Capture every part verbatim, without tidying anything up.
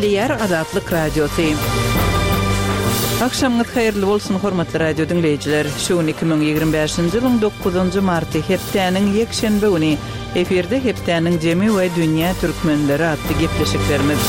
Gepleýär Azatlyk Radiosy. Agşamyňyz haýyrly bolsun hormatly radio diňleýjiler. Şu gün iki müň ýigrimi bäşinji ýylyň dokuzynjy marty hepdäniň ýekşenbe güni efirde hepdäniň jemi we dünýä türkmenleri atly gepleşiklerimiz.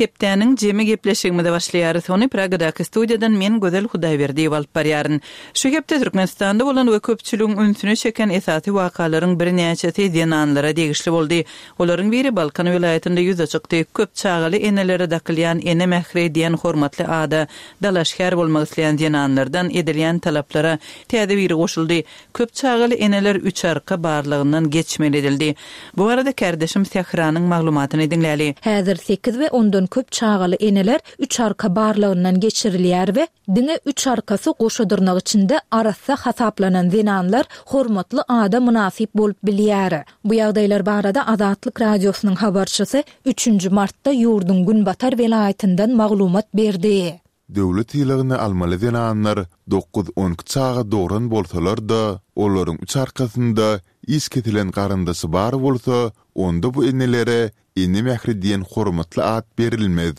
Hepdäniň jemi gepleşigimize başlaýarys. Ony Pragadaky studiýadan men Gözel Hudaýberdiýewa alyp barýaryn. Şu hepde Türkmenistanda bolan we köpçüligiň ünsüni çeken esasy wakalaryň birnäçesi zenanlara degişli boldy. Olaryň biri Balkan welaýatynda ýüze çykdy. Köp çagaly enelere dakylýan ene mähri diýen hormatly ada dalaşgär bolmak isleýän zenanlardan edilýän talaplara täze biri goşuldy. Köp çagaly eneler üç arka barlygyndan geçmeli edildi. Bu arada kardeşim Sähranyň maglumatyny diňläli. Häzir sekiz we ondan köp çagaly eneler üç arka barlygyndan geçirilýär we diňe üç arkasy goşa dyrnak içinde arassa hasaplanan zenanlar hormatly ada mynasyp bolup bilýär. Bu ýagdaýlar barada Azatlyk radiosynyň habarçysy üçünji martda ýurduň Günbatar welaýatyndan maglumat berdi. Döwlet sylagyny almaly zenanlar dokuz on iki çaga dogran bolsalar-da, olaryň üç arkasynda iş kesilen garyndaşy bar bolsa, onda bu enelere ene mähri diýen hormatly at berilmez.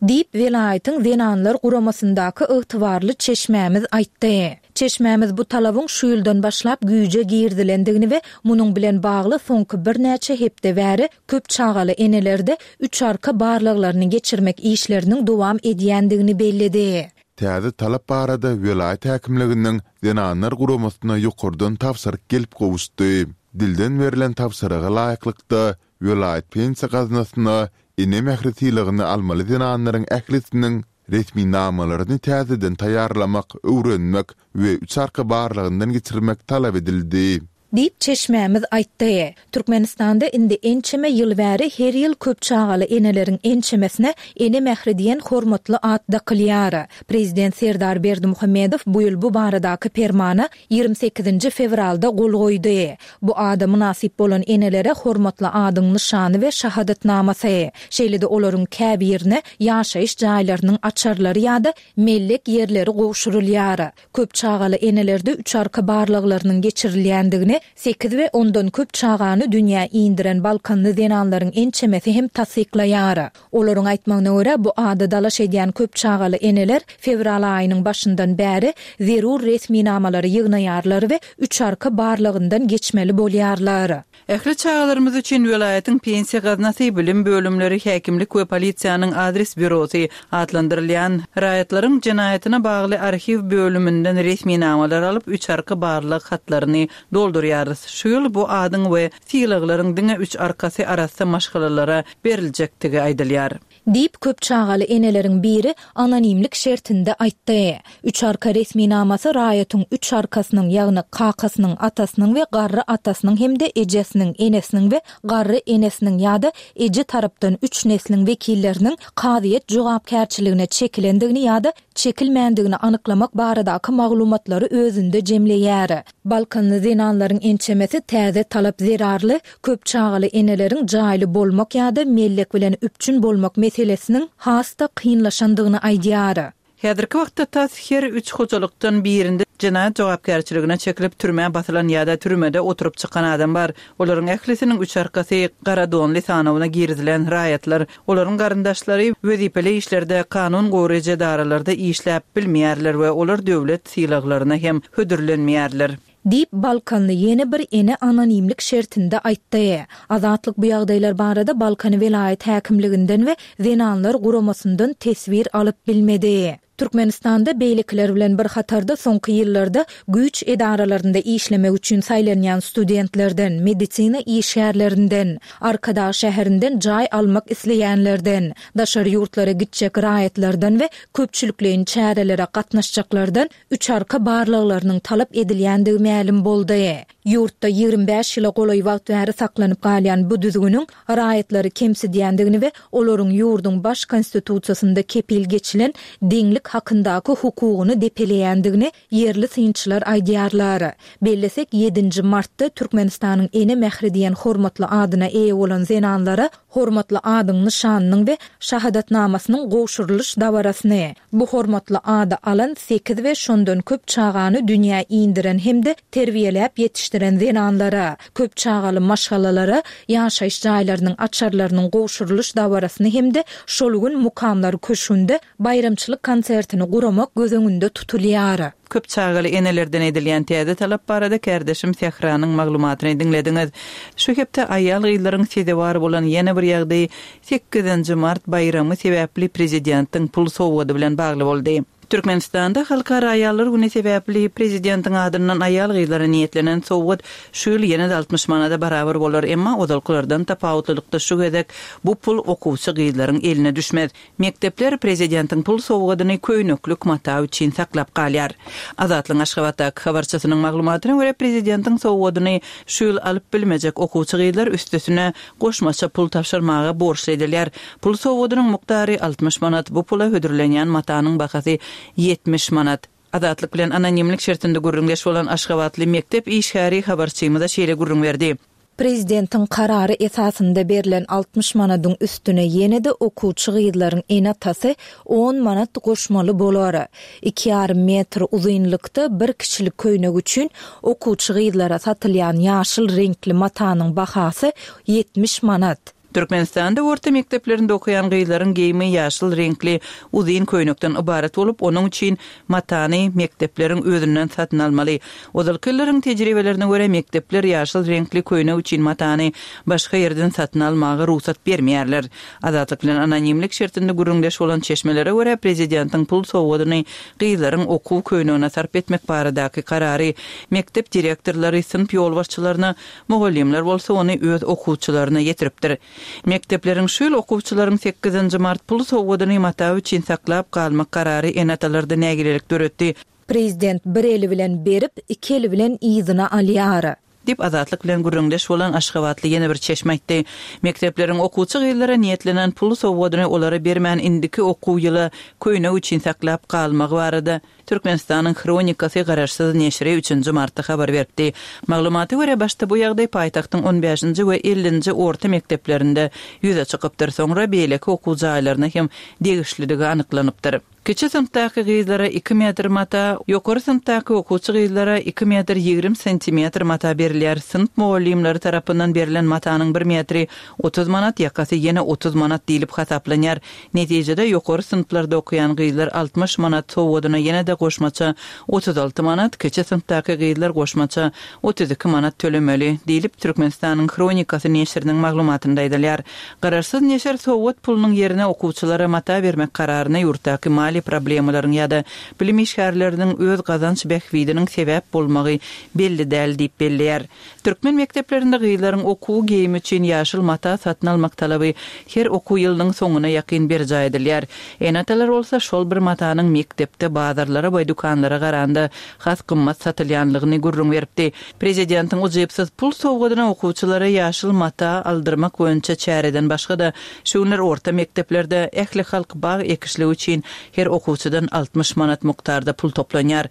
Diýip, welaýatyň zenanlar guramasyndaky ygtybarly çeşmämiz aýtdy. Çeşmämiz bu talabyň şu ýyldan başlap güýje girdilendigini we munuň bilen bagly soňky birnäçe hepde bäri köp çagaly enelerde üç arka barlaglaryny geçirmek işleriniň dowam edýändigini belledi. Täze talap barada welaýat häkimliginiň zenanlar guramasyna ýokardan tabşyryk gelip gowuşdy. Dilden berlen tabşyryga laýyklykda welaýat pensiýa gaznasyna ene mähri sylagyny almaly zenanlaryň ählisiniň resminamalaryny täzeden taýýarlamak, öwrenmek we üç arka barlagyndan geçirmek talap edildi. Diýip çeşmämiz aýtdy. Türkmenistanda indi ençeme ýyl bäri her ýyl köp çagaly eneleriň ençemesine ene mähri diýen hormatly at dakylýar. Prezident Serdar Berdimuhamedow bu ýyl bu baradaky permana ýigrimi sekizinji fewralda gol goýdy. Bu ada mynasyp bolan enelere hormatly adyň nyşany we şahadatnamasy, şeýle-de olaryň käbirine ýaşaýyş jaýlarynyň açarlary ýa-da mellek ýerleri gowşurylýar. Köp çagaly enelerde üç arka barlaglarynyň geçirilýändigini sekiz we ondan köp çagany dünýä indiren Balkanly zenanlaryň ençemesi hem tassyklaýar. Olaryň aýtmagyna görä, bu ada dalaş edýän köp çagaly eneler fewral aýynyň başyndan bäri zerur resminamalary ýygnaýarlar we üç arka barlagyndan geçmeli bolýarlar. Ähli çagalarymyz üçin welaýatyň pensiýa gaznasy, bilim bölümleri, häkimlik we polisiýanyň adres bürosy atlandyrylýan raýatlaryň jenaýatyna bagly arhiw bölüminden resminamalar alyp üç arka barlag hatlaryny doldurýarys. Şu ýyl bu adyň we sylaglaryň diňe üç arkasy arassa maşgalalara beriljekdigi aýdylýar. Diýip, köp çagaly eneleriň biri anonimlik şertinde aýtdy. Üç arka resminamasy raýatyň üç arkasynyň, ýagny kakasynyň, atasynyň we garry atasynyň hem-de ejesiniň, enesiniň we garry enesiniň ýa-da eje tarapdan üç nesliň wekilleriniň kazyýet jogapkärçiligine çekilendigini ýa-da çekilmändigini anyklamak baradaky maglumatlary özünde jemleýär. Balkanly zenanlaryň ençemesi täze talap zerarly köp çagaly eneleriň jaýly bolmak ýa-da mellek bilen üpjün bolmak meselesiniň has-da kynlaşandygyny aýdýar. Häzirki wagtda tas her üç hojalykdan birinde jenaýat jogapkärçiligine çekilip türmä basylan ýa-da türmede oturyp çykan adam bar. Olaryň ählisiniň üç arkasy gara donly sanawyna girizilen raýatlar, olaryň garyndaşlary wezipeli işlerde, kanun goraýjy edaralarda işläp bilmeýärler we olar döwlet sylaglaryna hem hödürlenmeýärler. Diýip, Balkanly ýene bir ene anonimlik şertinde aýtdy. Azatlyk bu ýagdaýlar barada Balkan welaýat häkimliginden we zenanlar guramasyndan teswir alyp bilmedi. Türkmenistanda beýlekiler bilen bir hatarda soňky ýyllarda güýç edaralarynda işlemek üçin saýlanýan studentlerden, medisina işgärlerinden, Arkadag şäherinden jaý almak isleýänlerden, daşary ýurtlara gitjek raýatlardan we köpçülikleýin çärelere gatnaşjaklardan üç arka barlaglarynyň talap edilýändigi mälim boldy. Ýurtda ýigrimi bäş ýyla golaý wagt bäri saklanyp galýan bu düzgüniň raýatlary kemsidýändigini we olaryň ýurduň baş konstitusiýasynda kepil geçilen deňlik hakyndaky hukugyny depeleýändigini ýerli synçylar aýdýarlar. Bellesek, ýedinji martda Türkmenistanyň Ene mähri diýen hormatly adyna eýe bolan zenanlara hormatly adyň nyşanynyň we şahadatnamasynyň gowşurylyş dabarasyny, bu hormatly ady alan sekiz we şondan köp çagany dünýä indiren hem-de terbiýeläp ýetişdiren zenanlara, köp çagaly maşgalalara ýaşaýyş jaýlarynyň açarlarynyň gowşurylyş dabarasyny hem-de şol gün Mukamlar köşgünde baýramçylyk konsertini guramak göz öňünde tutulýar. Köp çagaly enelerden edilýän täze talap barada kärdeşim Sähranyň maglumatyny diňlediňiz. Şu hepde aýal-gyzlaryň sezewar bolan ýene bir ýagdaýy sekizinji mart baýramy sebäpli prezidentiň pul sowgady bilen bagly boldy. Türkmenistanda Halkara aýallar güni sebäpli prezidentiň adyndan aýal-gyzlara niýetlenen sowgat şu ýyl ýene-de altmyş manada barabar bolar, emma ozalkylardan tapawutlylykda şu gezek bu pul okuwçy gyzlaryň eline düşmez. Mekdepler prezidentiň pul sowgadyny köýneklik mata üçin saklap galýar. Azatlygyň Aşgabatdaky habarçysynyň maglumatyna görä, prezidentiň sowgadyny şu ýyl alyp bilmejek okuwçy gyzlar üstesine goşmaça pul tabşyrmaga borçly edilýär. Pul sowgadynyň mukdary altmyş manat, bu pula hödürlenýän matanyň bahasy ýetmiş manat. Azatlyk bilen anonimlik şertinde gürrüňdeş bolan aşgabatly mekdep işgäri habarçymyza şeýle gürrüň berdi. Prezidentiň karary esasynda berlen altmyş manadyň üstüne ýene-de okuwçy gyzlaryň ene-atasy on manat goşmaly bolar. Iki ýarym metr uzynlykda bir kişilik köýnek üçin okuwçy gyzlara satylýan ýaşyl reňkli matanyň bahasy ýetmiş manat. Türkmenistanda orta mekdeplerinde okaýan gyzlaryň geýimi ýaşyl reňkli uzyn köýnekden ybarat bolup, onuň üçin matany mekdepleriň özünden satyn almaly. Ozalky ýyllaryň tejribelerine görä mekdepler ýaşyl reňkli köýnek üçin matany başga ýerden satyn almaga rugsat bermeýärler. Azatlyk bilen anonimlik şertinde gürrüňdeş bolan çeşmelere görä prezidentiň pul sowgadyny gyzlaryň okuw köýnegine sarp etmek baradaky karary mekdep direktorlary synp ýolbaşçylaryna, mugallymlar bolsa ony öz okuwçylaryna ýetiripdir. Mekdepleriň şu ýyl okuwçylaryň sekizinji mart pul sowgadyny mata üçin saklap galmak karary ene-atalarda nägilelik döretdi. Prezident bir eli bilen berip, iki eli bilen yzyna alýar. Diýip Azatlyk bilen gürrüňdeş bolan Aşgabatly ýene bir çeşme aýtdy. Mekdepleriň okuwçy gyzlara niýetlenen pul sowgadyny olara bermän indiki okuw ýyla köýnek üçin saklap galmagy barada Türkmenistanyň Hronikasy garaşsyz neşiri üçünji martda habar beripdi. Maglumata görä başda bu ýagdaý paýtagtyň on bäşinji we ellinji orta mekdeplerinde ýüze çykypdyr, soňra beýleki okuw jaýlaryna hem degişliligi anyklanypdyr. Kiçi synpdaky gyzlara iki metr mata, ýokary synpdaky okuwçy gyzlara iki metr ýigrimi santimetr mata berilýär. Synp mugallymlary tarapyndan berlen matanyň bir metri otuz manat, ýakasy ýene otuz manat diýlip hasaplanýar. Netijede ýokary synplarda okaýan gyzlar altmyş manat sowgadyna ýene-de goşmaça otuz alty manat, kiçi synpdaky gyzlar goşmaça otuz iki manat tölemeli diýlip Türkmenistanyň Hronikasy neşiriniň maglumatynda aýdylýar. Garaşsyz neşir sowgat pulunyň ýerine okuwçylara mata bermek kararyna ýurtdaky maliýe problemalaryň ýa-da bilim işgärleriniň öz gazanç bähbidiniň sebäp bolmagy belli däl diýip belleýär. Türkmen mekdeplerinde gyzlaryň okuw geýimi üçin ýaşyl mata satyn almak talaby her okuw ýylynyň soňuna ýakyn berjaý edilýär. Ene-atalar bolsa şol bir matanyň mekdepde bazarlara we dükanlara garanda has gymmat satylýanlygyny gürrüň beripdi. Prezidentiň ujypsyz pul sowgadyna okuwçylara ýaşyl mata aldyrmak boýunça çäreden başga-da şu günler orta mekdeplerde ähli halk bag ekişligi üçin her okuwçydan altmyş manat mukdarda pul toplanýar.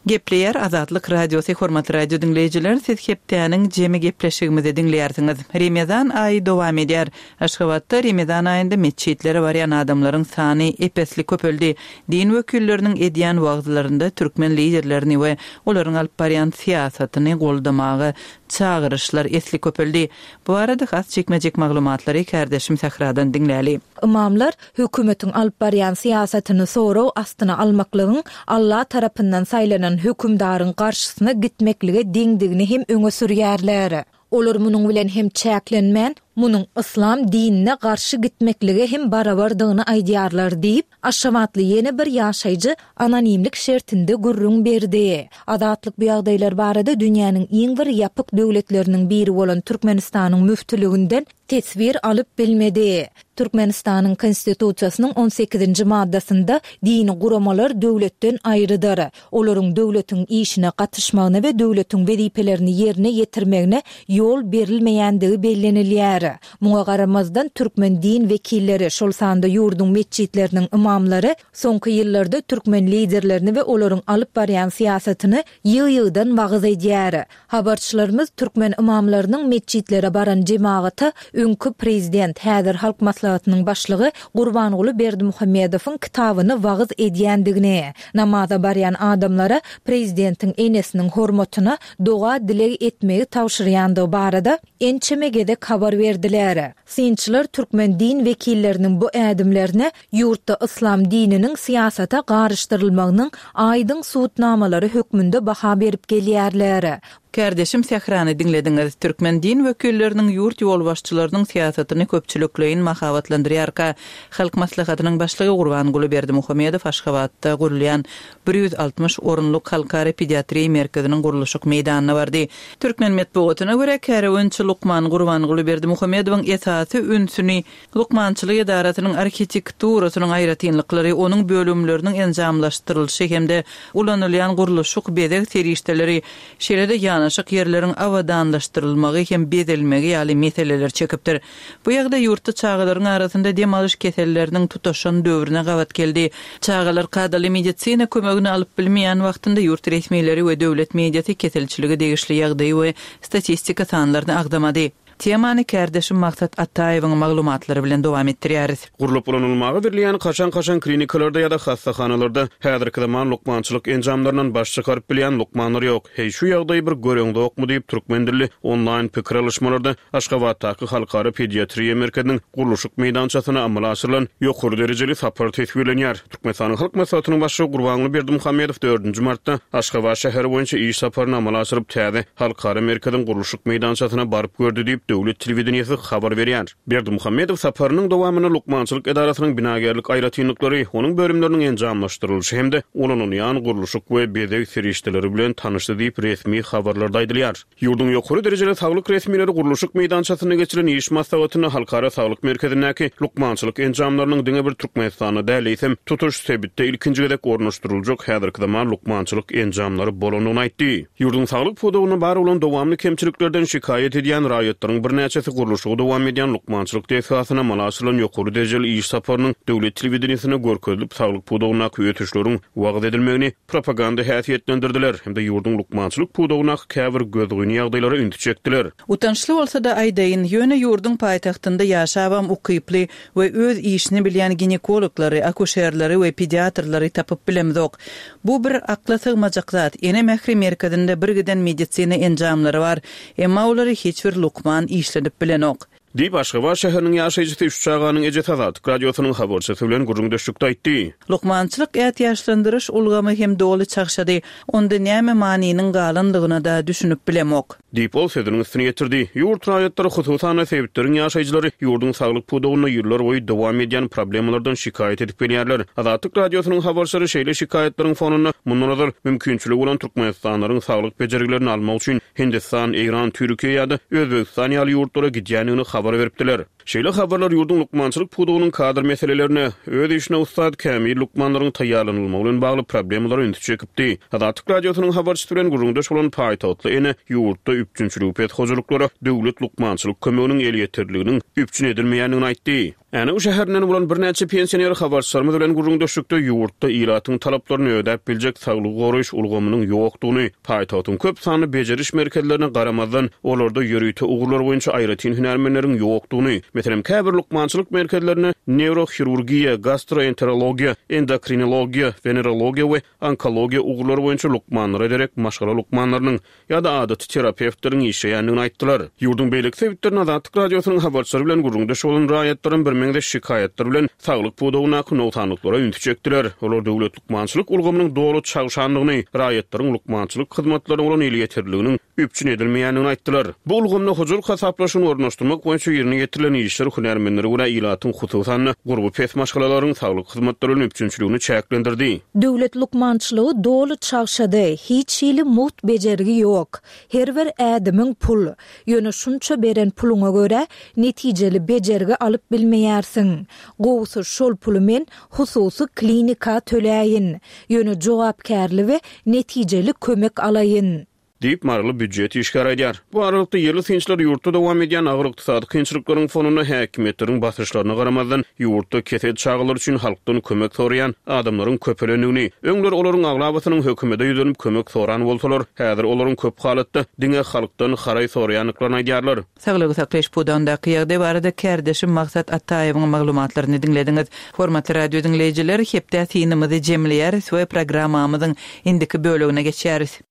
Gepleýär Azatlyk Radiosy, hormatly radio diňleýjiler, siz hepdäniň jemi gepleşigimizi diňleýärsiňiz. Remezan aýy dowam edýär. Aşgabatda Remezan aýynda metjitlere barýan adamlaryň sany epesli köpeldi. Din wekilleriniň edýän wagzlarynda türkmen liderlerini we olaryň alyp barýan syýasatyny goldamaga çagyryşlar esli köpeldi. Bu arada has çekmejek maglumatlary kärdeşim Sähradan diňläli. Imamlar hökümetiň alyp barýan syýasatyny sorag astyna almaklygyň Allah tarapyndan saýlanan hökümdaryň garşysyna gitmeklige deňdigini hem öňe sürýärler. Olar munuň bilen hem çäklenmän, munuň yslam dinine garşy gitmeklige hem barabardygyny aýdýarlar diýip, Aşgabatly ýene bir ýaşaýjy anonimlik şertinde gürrüň berdi. Azatlyk bu ýagdaýlar barada dünýäniň iň bir ýapyk döwletleriniň biri bolan Türkmenistanyň müftüliginden teswir alyp bilmedi. Türkmenistanyň Konstitusiýasynyň on sekizinji maddasynda dini guramalar döwletden aýrydyr. Olaryň döwletiň işine gatyşmagyna we döwletiň wezipelerini ýerine ýetirmegine ýol berilmeýändigi bellenilýär. edilýär. Muňa garamazdan, türkmen din wekilleri, şol sanda ýurduň metjitleriniň ymamlary soňky ýyllarda türkmen liderlerini we olaryň alyp barýan syýasatyny ýygy-ýygydan wagyz edýär. Habarçylarymyz türkmen ymamlarynyň metjitlere baran jemagata öňki prezident, häzir Halk Maslahatynyň başlygy Gurbanguly Berdimuhamedowyň kitabyny wagyz edýändigini, namaza barýan adamlara prezidentiň enesiniň hormatyna doga-dileg etmegi tabşyrýandygy barada ençeme gezek habar berdiler. Synçylar türkmen din wekilleriniň bu ädimlerine ýurtda yslam dininiň syýasata garyşdyrylmagynyň aýdyň subutnamalary hökmünde baha berip gelýärler. Kärdeşim Sährany diňlediňiz. Türkmen din wekilleriniň ýurt ýolbaşçylarynyň syýasatyny köpçülikleýin mahabatlandyrýarka, Halk Maslahatynyň Başlygy Gurbanguly Berdimuhamedow Aşgabatda gurulýan bir ýüz altmyş orunlyk Halkara pediatriýa merkeziniň gurluşyk meýdanyna bardy. Türkmen metbugatyna görä, kärewençi lukman Gurbanguly Berdimuhamedowyň esasy ünsüni lukmançylyk edarasynyň arhitekturasynyň aýratynlyklary, onuň bölümleriniň enjamlaşdyrylyşy hem-de ulanylýan gurluşyk bezeg serişdeleri, şeýle-de ýanaşyk ýerleriň abadanlaşdyrylmagy hem bezelmegi ýaly meseleler çekipdir. Bu ýagdaý ýurtda çagalaryň arasynda dem alyş keselleriniň tutaşan döwrüne gabat geldi. Çagalar kadaly medisina kömegini alyp bilmeýän wagtynda ýurt resmileri we döwlet mediasy keselçilige degişli ýagdaýy we statistika sanlaryny agzamady. Temany kärdeşim Maksat Ataýewiň maglumatlary bilen dowam etdirýäris. Gurlup ulanylmaga berilýän kaşaň-kaşaň klinikalarda ýa-da hassahanalarda häzirki zaman lukmançylyk enjamlaryndan baş çykaryp bilýän lukmanlar ýok. Heý, şu ýagdaýy bir göreňzokmy diýip, türkmen dilli onlaýn pikir alyşmalarda Aşgabatdaky Halkara pediatriýa merkeziniň gurluşyk meýdançasyna amala aşyrylan ýokary derejeli sapar teswirlenýär. Türkmenistanyň Halk Maslahatynyň Başlygy Gurbanguly Berdimuhamedow dördünji martda Aşgabat şäheri boýunça iş saparyny amala aşyryp, täze Halkara merkeziň gurluşyk meýdançasyna baryp gördi diýip, döwlet telewideniýesi habar berýär. Berdimuhamedow saparynyň dowamynda lukmançylyk edarasynyň binagärlik aýratynlyklary, onuň bölümleriniň enjamlaşdyrylyşy hem-de ulanylýan gurluşyk we bezeg serişdeleri bilen tanyşdy diýip, resmi habarlarda aýdylýar. Ýurduň ýokary derejeli saglyk resmileri gurluşyk meýdançasynda geçirilen iş maslahatynda Halkara saglyk merkezindäki lukmançylyk enjamlarynyň diňe bir Türkmenistanda däl, eýsem, tutuş sebitde ilkinji gezek ornaşdyryljak häzirki zaman lukmançylyk enjamlary bolandygyny aýtdy. Ýurduň saglyk pudagynda bar bolan dowamly kemçiliklerden şikaýat edýän raýatlaryň birnäçesi gurluşygy dowam edýän lukmançylyk desgasyna amala aşyrylan ýokary derejeli iş saparynyň döwlet telewideniýesinde görkezilip, saglyk pudagyndaky ösüşleriň wagyz edilmegini propaganda häsiýetlendirdiler hem-de ýurduň lukmançylyk pudagyndaky käbir gözgyny ýagdaýlara ünsi çekdiler. Utançly bolsa-da aýdaýyn, ýöne ýurduň paýtagtynda ýaşabam ukyply we öz işini bilýän ginekologlary, akuşerleri we pediatrlary tapyp bilemzok. Bu bir akla sygmajak zat. Ene mähri merkezinde birgiden medisina enjamlary bar, emma olary hiç bir lukman işledip bilenok. Diýip, Aşgabat şäheriniň ýaşaýjysy, üç çaganyň ejesi Azatlyk Radiosynyň habarçysy bilen gürrüňdeşlikde aýtdy. Lukmançylyk ätiýaçlandyryş ulgamy hem doly çagşady. Onda näme manynyň galandygyna-da düşünip bilemok. Diýip, ol sözüniň üstüni ýetirdi. Ýurt raýatlary, hususan-da, sebitleriň ýaşaýjylary ýurduň saglyk pudagynda ýyllarboýy dowam edýän problemalardan şikaýat edip gelýärler. Azatlyk Radiosynyň habarçylary şeýle şikaýatlaryň fonunda mundan ozal mümkinçiligi bolan türkmenistanlylaryň saglyk bejergilerini almak üçin Hindistan, Eýran, Türkiýe ýa-da Özbegistan ýaly ýurtlara gidýändigini habar beripdiler. Şeýle habarlar ýurduň lukmançylyk pudagynyň kadr meselelerine, öz işine ussat, kämil lukmanlaryň taýýarlanylmagy bilen bagly problemalara ünsi çekipdi. Azatlyk Radiosynyň habarçysy bilen gürrüňdeş bolan paýtagtly ene ýurtda üpjünçiligi pes hojalyklara döwlet lukmançylyk kömeginiň elýeterliliginiň üpjün edilmeýändigini aýtdy. Änew şäherinden bolan birnäçe pensioner habarçylarymyz bilen gürrüňdeşlikde ýurtda ilatyň talaplaryny ödäp biljek saglygy goraýyş ulgamynyň ýokdugyny, paýtagtyň köp sanly bejeriş merkezlerine garamazdan, olarda ýörite ugurlar boýunça aýratyn hünärmenleriň ýokdugyny, meselem, käbir lukmançylyk merkezlerinde newrohirurgiýa, gastroenterologiýa, endokrinologiýa, wenerologiýa we onkologiýa ugurlary boýunça lukmanlara derek maşgala lukmanlarynyň ýa-da adaty terapewtleriň işleýändigini aýtdylar. Ýurduň beýleki sebitlerinde Azatlyk Radiosynyň habarçylary bilen gürrüňdeş bolan raýatlaryň birmeňzeş şikaýatlar bilen saglyk pudagyndaky nogsanlyklara ünsi çekdiler. Olar döwlet lukmançylyk ulgamynyň doly çagşandygyny, raýatlaryň lukmançylyk hyzmatlaryna bolan elýeterliliginiň üpjün edilmeýändigini aýtdylar. Bu ulgamda hojalyk hasaplaşygyny ornaşdyrmak boýunça ýerine ýetirilen işler hünärmenlere görä ilatyň, hususan-da, gurby pes maşgalalaryň saglyk hyzmatlary bilen üpjünçiligini çäklendirdi. Döwlet lukmançylygy doly çagşady, hiç hili mugt bejergi ýok. Her bir ädimiň pul. Ýöne şunça beren puluňa görä netijeli bejergi alyp bilmeýärsiň. Gowusy şol puly men hususy klinika töläýin. Ýöne jogapkärli we netijeli kömek alaýyn. Diýip, maryly býujet işgäri aýdýar. Bu aralykda, ýerli synçylar ýurtda dowam edýän agyr ykdysady kynçylyklaryň fonunda häkimiýetleriň basyşlaryna garamazdan, ýurtda kesel çagalar üçin halkdan kömek soraýan adamlaryň köpelendigini, öňler olaryň aglabasynyň hökümete ýüzlenip kömek soran bolsalar, häzir olaryň köp halatda diňe halkdan haraý soraýandyklaryny aýdýarlar. Saglygy saklaýyş pudagyndaky ýagdaý barada kärdeşim Maksat Ataýewiň maglumatlaryny diňlediňiz. Hormatly radio diňleýjiler, hepde synymyzy jemleýäris we programmamyzyň indiki bölegine geçýäris.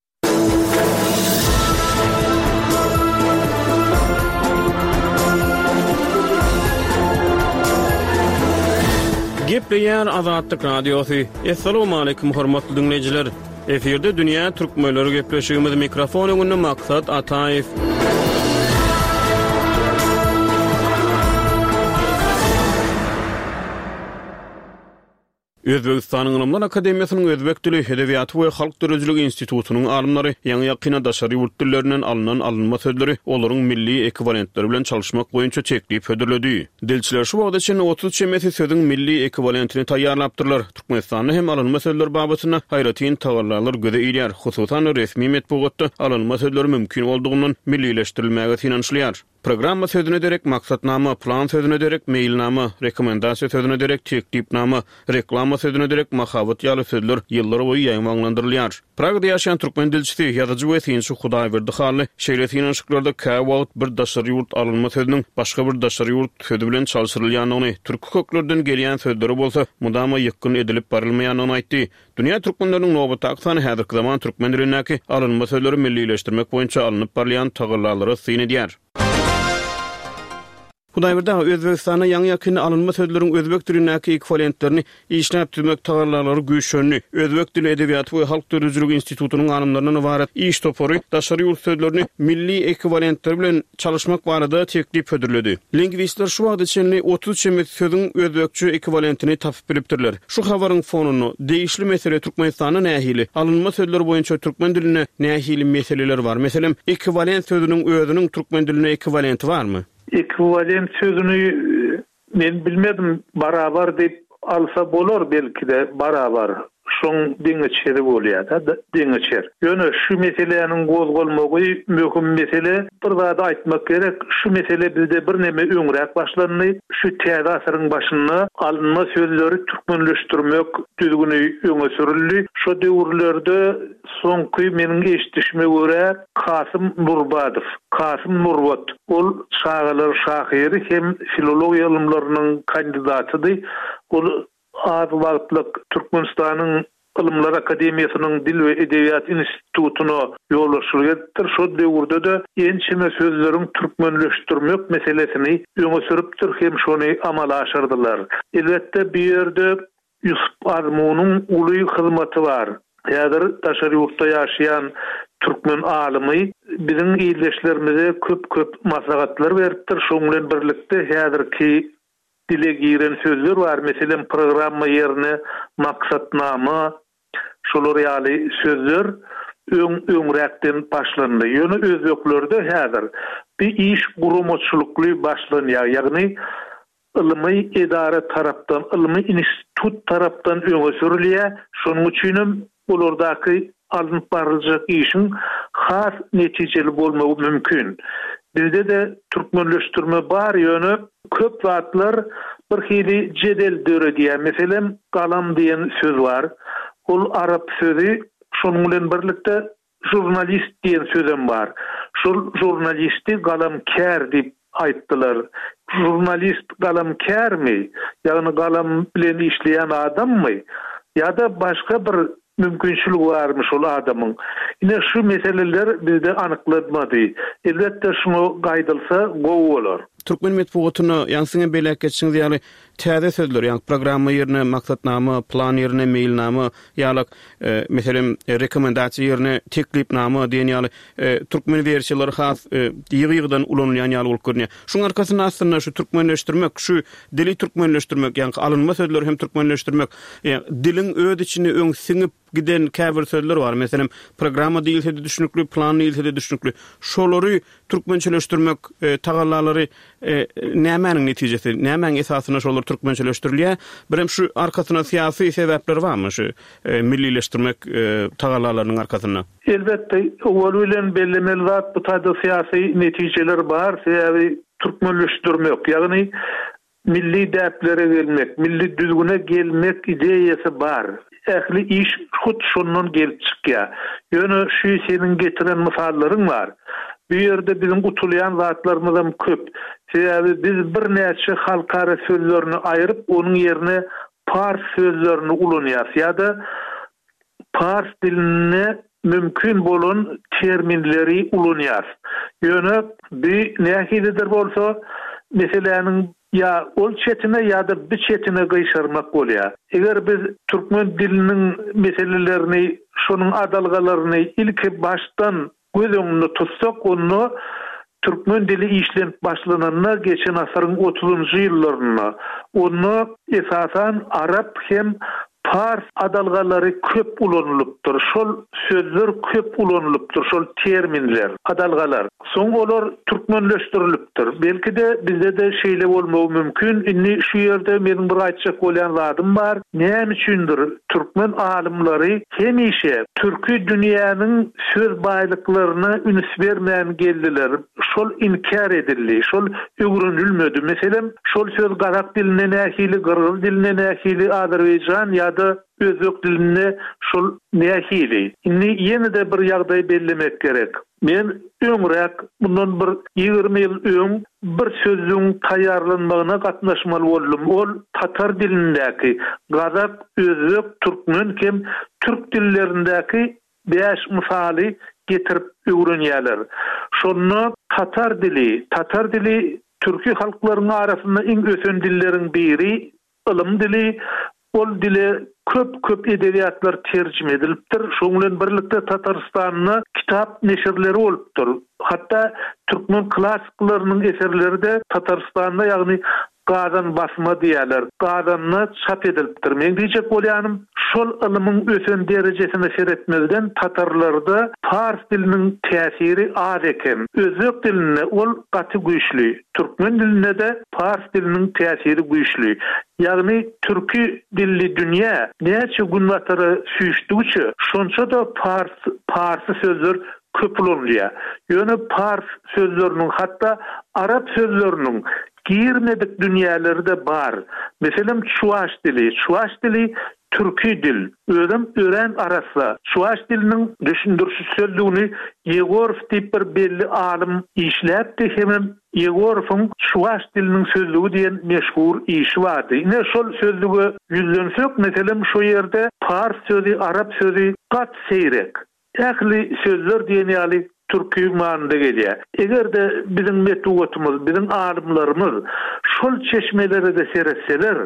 Gepleýär Azatlyk Radiosy. Assalamualaikum hormatly diňleýjiler. Efirde Dünýä Türkmenleri gepleşigimiz mikrofon öňünde Maksat Ataýew. Özbegistanyň Ylymlar akademiýasynyň Özbek dili, edebiýaty we halk döredijiligi institutynyň alymlary ýaňy-ýakynda daşary ýurt dillerinden alnan alynma sözleri olaryň milli ekwiwalentleri bilen çalyşmak boýunça teklip hödürledi. Dilçiler şu wagta çenli otuz çemesi sözüň milli ekwiwalentini taýýarlapdyrlar. Türkmenistanda hem alynma sözler babatynda aýratyn tagallalar göze ilýär. Hususan resmi metbugatda alynma sözleri mümkin boldugyndan millileşdirilmäge synanyşylýar. Programma sözüne derek maksatnama, plan sözüne derek meýilnama, rekomendasiýa sözüne derek teklipnama, reklama sözüne derek mahabat ýaly sözler ýyllar boýy ýaýbaňlandyrylýar. Pragada ýaşaýan türkmen dilçisi, ýazyjy we synçy Hudaýberdi Hally şeýle synanyşyklarda käwagt bir daşary ýurt alynma sözüniň başga bir daşary ýurt sözi bilen çalşyrylýandygyny, türki köklerden gelýän sözleri bolsa mudama ýykgyn edilip barylmaýandygyny aýtdy. Dünýä türkmenleriniň nobatdaky sany häzirki zaman türkmen dilindäki alynma sözleri millileşdirmek boýunça alnyp barylýan tagallalara syn edýär. Hudaýberdi aga, Özbegistanda ýaňy-ýakynda alynma sözleriň özbek dilindäki ekwiwalentlerini işläp düzmek tagallalary güýçlendi. Özbek dili, edebiýaty we halk döredijiligi institutynyň alymlaryndan ybarat iş topary daşary ýurt sözlerini milli ekwiwalentler bilen çalyşmak barada teklip hödürledi. Lingwistler şu wagta çenli otuz çemesi sözüň özbekçe ekwiwalentini tapyp bilipdirler. Şu habaryň fonunda degişli mesele Türkmenistanda nähili, alynma sözler boýunça türkmen dilinde nähili meseleler bar? Meselem, ekwiwalent sözüniň özüniň türkmen dilinde ekwiwalenti barmy? Ekwiwalent sözüni men bilmedim, barabar diýip alsa bolar belki-de barabar. Şoň deňeçeri bolýar-da, deňeçer. Ýöne şu meseläniň gozgalmagy möhüm mesele. Bir zady aýtmak gerek, şu mesele bizde bir neme öňräk başlandy. Şu täze asyryň başynda alynma sözleri türkmenleşdirmek düzgüni öňe sürüldi. Şu döwürlerde soňky meniň eşitişime görä Kasym Nurbadow, Kasym Nurbat, ol çagalar şahyry hem filologiýa ylymlarynyň kandidatydy. Ol az wagtlyk Türkmenistanyň Ylymlar Akademiýasynyň Dil we Edebiýat institutyna ýolbaşçylyk edipdir. Şo döwürde-de ençeme sözleriň türkmenleşdirmek meselesini öňe sürüpdir hem şony amala aşyrdylar. Elbetde bu ýerde Ýusup Azmunyň uly hyzmaty bar. Häzir daşary ýurtda ýaşaýan türkmen alymy biziň ildeşlerimize köp-köp maslahatlar beripdir. Şoň bilen birlikde häzirki dile giren sözler bar. Meselem, programma ýerine maksatnama, şolar ýaly sözler öň öňräkden başlandy. Ýöne özbeklerde häzir bir iş guramaçylykly başlanýar. Ýagny ylmy edara tarapdan, ylmy institut tarapdan öňe sürülýär. Şonuň üçin hem olardaky alnyp baryljak işiň has netijeli bolmagy mümkin. Bizde-de türkmenleşdirme bar, ýöne köp zatlar bir hili jedel döredýär. Meselem, galam diýen söz bar. Ol arap sözi, şonuň bilen birlikde žurnalist diýen sözem bar. Şol žurnalisti galamkär diýip aýtdylar. Žurnalist galamkärmi? Ýagny galam bilen işleýän adammy? Ýa-da başga bir mümkinçilik barmy şol adamyň? Ine şu meseleler bizde anyklanmady. Elbetde şuňa gaýdylsa gowy bolar. Türkmen metbugatynda ýaňy siziň belläp geçişiňiz ýaly täze sözler, ýagny programma ýerine maksatnama, plan ýerine meýilnama ýaly, e, meselem, e, rekomendasiýa ýerine teklipnama diýen ýaly, e, türkmen wersiýalary has, e, ýygy-ýygydan ulanylýan ýaly bolup görünýär. Şuň arkasynda aslynda şu türkmenleşdirmek, şu dili türkmenleşdirmek, ýagny alynma sözleri hem türkmenleşdirmek, e, diliň öz içinde öň siňip giden käbir sözler bar. Meselem, programma diýilse-de düşnükli, plan diýilse-de düşnükli. Şolary türkmençeleşdirmek, e, tagallalary, e, nämäniň netijesi, nämäniň esasynda şolary türkmençeleşdirilýär? Birem şu arkasynda syýasy sebäpler barmy şu millileşdirmek tagallalarynyň arkasynda? Elbetde, owal bilen bellemeli zat bu taýda syýasy netijeler bar, sebäbi türkmenleşdirmek, ýagny milli däplere gelmek, milli düzgüne gelmek ideýasy bar. Ähli iş hut şondan gelip çykýar. Ýöne şu seniň getiren mysallaryň bar. Bu ýerde biziň utulýan zatlarymyzam köp. Sebäbi biz birnäçe halkara sözlerini aýryp, onuň ýerine pars sözlerini ulanýarys ýa-da pars dilinde mümkin bolan terminleri ulanýarys. Ýöne bu nähilidir bolsa, meseläniň ýa ol çetine ýa-da bi çetine gyşarmak bolýar. Eger biz türkmen diliniň meselelerini, şonuň adalgalaryny ilki başdan göz öňünde tutsak, onda türkmen dili işlenip başlananda geçen asyryň otuzynjy ýyllarynda, onda esasan arap hem pars adalgalary köp ulanylypdyr. Şol sözler köp ulanylypdyr, şol terminler, adalgalar. Soň olar türkmenleşdirilipdir. Belki-de bizde-de şeýle bolmagy mümkin. Indi şu ýerde meniň bir aýtjak bolýan zadym bar. Näme üçindir türkmen alymlary hemişe türki dünýäniň söz baýlyklaryna üns bermän geldiler. Şol inkär edildi, şol öwrenilmedi. Meselem, şol söz gazak dilinde nähili, gyrgyz dilinde nähili, azerbaýjan ýa-da özbek dilinde şol nähili. Indi ýene-de bir ýagdaý bellemek gerek. Men öňräk, mundan bir ýigrimi ýyl öň bir sözlügiň taýýarlanmagyna gatnaşmaly boldum. Ol tatar dilindäki, gazak, özbek, türkmen hem türk dillerindäki bäş mysaly getirip öwrenýärler. Şonda tatar dili, tatar dili türki halklaryň arasynda iň ösen dilleriň biri, ylym dili, ol dile köp-köp edebiýatlar terjime edilipdir. Şonuň bilen birlikde Tatarystanda kitap neşirleri bolupdyr. Hatda türkmen klassyklarynyň eserleri-de Tatarystanda, ýagny Gazan basma diýýärler, Gazanda çap edilipdir. Meň diýjek bolýanym, şol ylymyň ösen derejesine seretmezden tatarlarda pars diliniň täsiri az eken. Özbek dilinde ol gaty güýçli, türkmen dilinde-de pars diliniň täsiri güýçli. Ýagny türki dilli dünýä näçe günbatara süýşdügiçe, şonça-da pars, parsy sözler köp ulanylýar. Ýöne pars sözleriniň, hatda arap sözleriniň girmedik dünýäleri-de bar. Meselem, çuwaş dili. Çuwaş dili türki dil. Özem örän arassa. Çuwaş diliniň düşündiriş sözlügini Ýegorow diýip bir belli alym işläpdi hemem Ýegorowyň Çuwaş diliniň sözlügi diýen meşhur işi bardy. Ine, şol sözlüge ýüzlensek, meselem, şo ýerde pars sözi, arap sözi gaty seýrek. Ähli sözler diýen ýaly türki manyda gelýär. Eger-de biziň metbugatymyz, biziň alymlarymyz şol çeşmelere-de seretseler,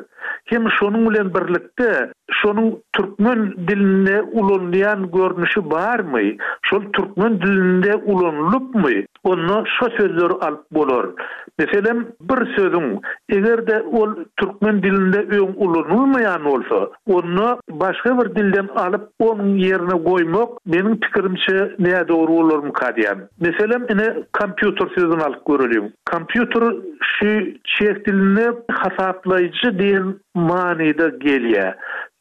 hem şonuň bilen birlikde şonuň türkmen dilinde ulanylýan görnüşi barmy, şol türkmen dilinde ulanylypmy, onda şo sözleri alyp bolar. Meselem, bir sözüň, eger-de ol türkmen dilinde öň ulanylmaýan bolsa, onda başga bir dilden alyp onuň ýerine goýmak meniň pikirimçe nädogry bolarmyka diýýän. Meselem, ine kompýuter sözüni alyp göreliň. Kompýuter şu çeh dilinde hasaplaýjy diýen manyda gelýär.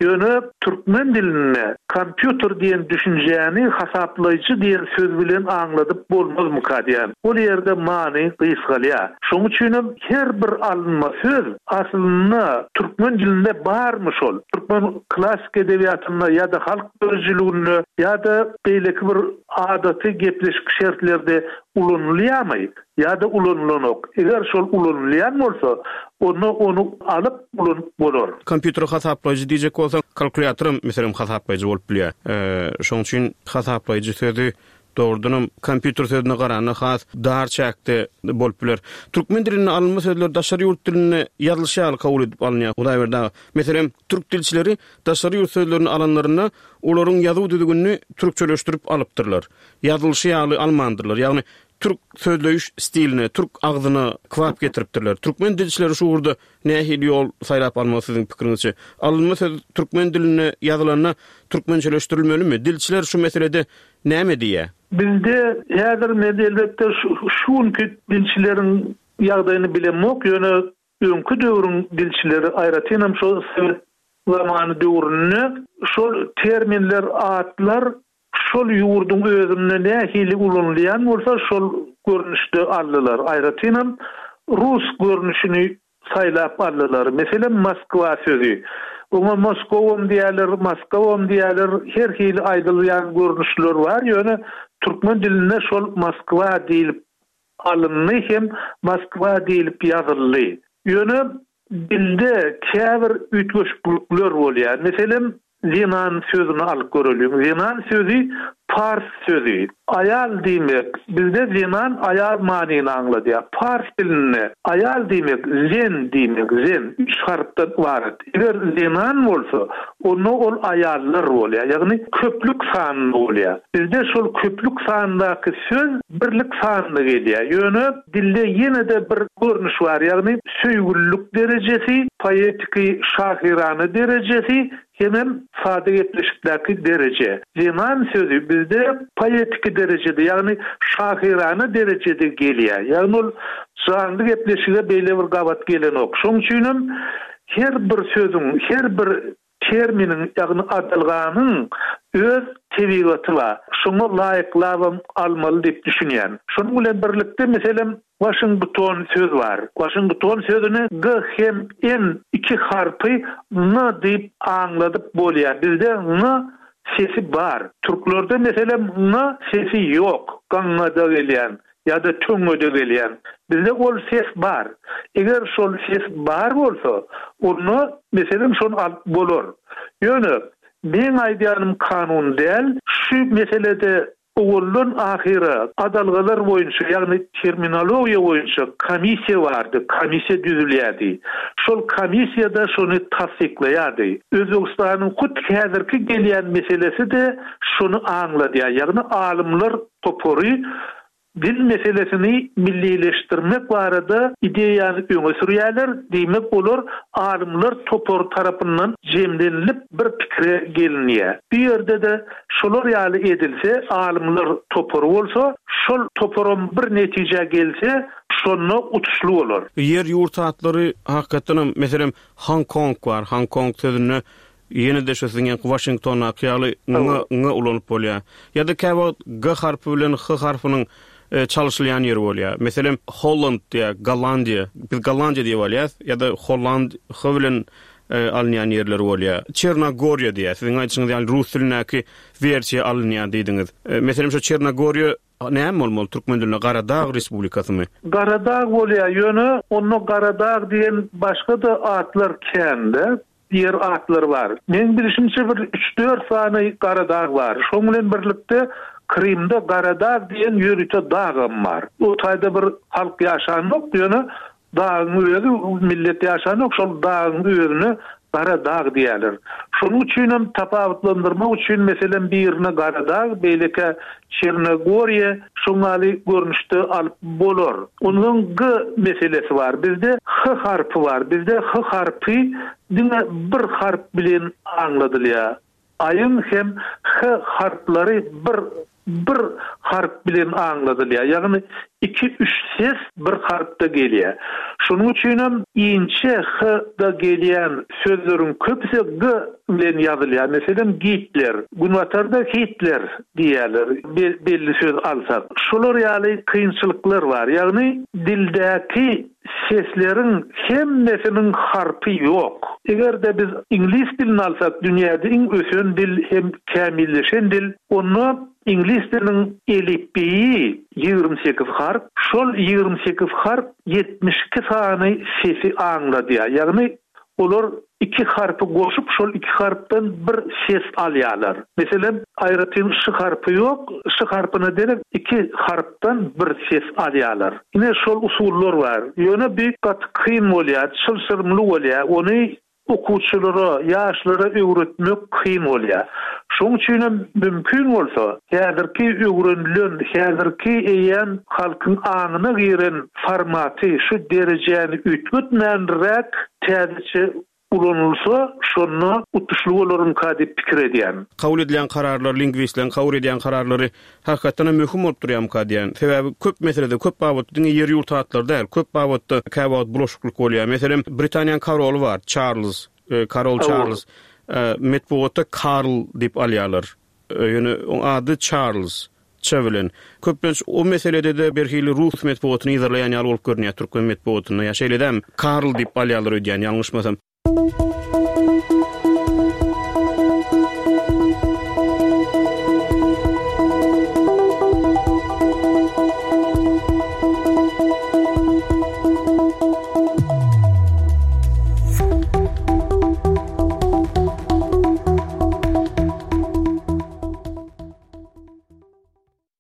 Ýöne türkmen dilinde kompýuter diýen düşünjäni hasaplaýjy diýen söz bilen aňladyp bolmazmyka diýýän. Ol ýerde many gysgalýar. Şonuň üçinem her bir alynma söz aslynda türkmen dilinde barmy şol? Türkmen klassyk edebiýatynda ýa-da halk döredijiliginde ýa-da beýleki bir adaty gepleşik şertlerde ulanylýarmy ýa-da ulanylanok? Eger şol ulanylýan bolsa, onda ony alyp ulanyp bolar. Kompýuter hasaplaýjy diýjek bolsaň, kalkulýatoram, meselem, hasaplaýjy bolup bilýär. Şonuň üçin hasaplaýjy sözi dogrudanam kompýuter sözüne garanda has dar çäkde bolup biler. Türkmen dilinde alynma sözler daşary ýurt dilinde ýazylyşy ýaly kabul edip alynýar. Hudaýberdi aga, meselem, türk dilçileri daşary ýurt sözlerini alanlarynda olaryň ýazuw düzgünini türkçeleşdirip alypdyrlar. Ýazylyşy ýaly almandyrlar. Ýagny türk sözleýiş stiline, türk agzyna kybap getiripdirler. Türkmen dilçileri şu ugurda nähili ýol saýlap almaly siziň pikiriňizçe? Alynma söz türkmen dilinde ýazylanda türkmençeleşdirilmelimi? Dilçiler şu meselede näme diýýär? Öňki döwrüň dilçileri, aýratynam şol sowet zamany döwründe şol terminler, atlar şol ýurduň özünde nähili ulanylýan bolsa, şol görnüşde aldylar. Aýratynam rus görnüşini saýlap aldylar. Meselem, Moskwa sözi. Oňa Moskowam diýýärler, Moskowam diýýärler, her hili aýdylýan görnüşler bar, ýöne türkmen dilinde şol Moskwa diýlip alyndy hem Moskwa diýlip ýazyldy. Ýöne dilde käbir üýtgeşiklikler bolýar. Meselem, zenan sözüni alyp göreliň. Zenan sözi pars sözi. Aýal diýmek, bizde zenan aýal manyny aňladýar. Pars dilinde aýal diýmek zen diýmek, zen üç harpdan ybarat. Eger zenan bolsa, onda ol aýallar bolýar, ýagny köplük sanynda bolýar. Bizde şol köplük sandaky söz birlik sanynda gelýär. Ýöne dilde ýene-de bir görnüş bar, ýagny söýgülilik derejesi, poetiki şahyrana derejesi hemem sada gepleşikdäki dereje. Zenan sözi bizde poetiki derejede, ýagny şahyrana derejede gelýär. Ýagny ol janly gepleşige beýle bir gabat gelenok. Şonuň üçinem her bir sözüň, her bir terminiň, ýagny adalganyň öz tebigaty bar. Şoňa laýyklabam almaly diýip düşünýän. Şonuň bilen birlikde, meselem, Waşington söz bar. Waşington sözüni G hem N iki harpy N diýip aňladyp bolýar. Bizde N sesi bar. Türklerde meselem N sesi ýok. Gaňňada gelýän ýa-da töňňede gelýän. Bizde ol ses bar. Eger şol ses bar bolsa, onda meselem şony alyp bolar. Ýöne meň aýdýanym kanun däl. Şu meselede owaldan ahyra adalgalar boýunça, ýagny terminologiýa boýunça komissiýa bardy, komissiýa düzülýärdi. Şol komissiýada şony tassyklaýardy. Özbegistanyň hut häzirki gelýän meselesi-de şony aňladýar, ýagny alymlar topary dil meselesini millileşdirmek barada ideýany öňe sürýärler, diýmek olar alymlar topary tarapyndan jemlenilip bir pikire gelinýär. Bu ýerde-de şolar ýaly edilse, alymlar topary bolsa, şol toparam bir netijä gelse, şonda utuşly bolar. Ýer-ýurt atlary hakykatdanam, meselem, Hong Kong bar. Hong Kong sözünde ýene-de şu siziň ýaňky Waşingtondaky ýaly ň, ň ulanyp bolýar. Ýa-da käwagt G harpy bilen H harpynyň çalşylýan ýeri bolýar. Meselem, Holland diýýär, Gollandiýa. Biz Gollandiýa diýip alýas, ýa-da Holland H bilen alynýan ýerleri bolýar. Çernogoriýa diýýär. Siziň aýdyşyňyz ýaly rus dilindäki wersiýa alynýar diýdiňiz. Meselem, şu Çernogoriýa näme bolmaly türkmen dilinde? Garadag Respublikasymy? Garadag bolýar, ýöne onda Garadag diýen başga-da atlar kän-de. Ýer atlary bar. Meň bilşimçe bir üç-dört sany Garadag bar. Şoň bilen birlikde Krymda Garadag diýen ýörite dagam bar. O taýda bir halk ýaşanok, ýöne dagyň özi millet ýaşanok, şol dagyň özüne Garadag diýerler. Şonuň üçinem tapawutlandyrmak üçin meselem birine Garadag, beýleki Çernogoriýa şoňaly görnüşde alyp bolar. Ondan G meselesi bar. Bizde H harpy bar. Bizde H harpy diňe bir harp bilen aňladylýar. Aýyň hem H harplary bir, bir harp bilen aňladylýar. Ýagny iki, üç ses bir harpda gelýär. Şonuň üçinem inçe H-da gelýän sözleriň köpüsi G bilen ýazylýar. Meselem, Gitler, Günbatarda Hitler diýerler, belli söz alsak. Şolar ýaly kynçylyklar bar. Ýagny dildäki sesleriň hemmesiniň harpy ýok. Eger-de biz iňlis dilini alsak, dünýäde iň ösen dil hem kämilleşen dil, onda iňlis diliniň elipbiýi ýigrimi sekiz harp, şol ýigrimi sekiz harp ýetmiş iki sany sesi aňladýar. Ýagny olar iki harpy goşup, şol iki harpdan bir ses alýarlar. Meselem, aýratyn ş harpy ýok, ş harpyna derek iki harpdan bir ses alýarlar. Ine şol usullar bar. Ýöne bir gaty kyn bolýar, çylşyrymly bolýar. Ony okuwçylara, ýaşlara öwretmek kyn bolýar. Şonuň üçin hem mümkin bolsa, häzirki öwrenilen, häzirki eýän halkyň aňyna giren formaty şu derejäni üýtgetmänräk täzeçe ulanylsa, şonda utuşly bolarmyka diýip pikir edýän. Kabul edilýän kararlar, lingwistleriň kabul edýän kararlary hakykatdan hem möhüm bolup durýarmyka diýýän. Sebäbi köp meselede, köp babatda diňe ýer-ýurt atlary däl, köp babatda käwagt bulaşyklyk bolýar. Meselem, Britaniýanyň koroly bar, Çarlz, Karol Çarlz. Metbugatda Karl diýip alýarlar. Ýöne oň ady Çarlz, Ç bilen. Köplenç o meselede-de birhili rus metbugatyny yzarlaýan ýaly bolup görünýär türkmen metbugatynda. Ýa şeýle dälmi? Karl diýip alýarlar öýdýän, ýalňyşmasam.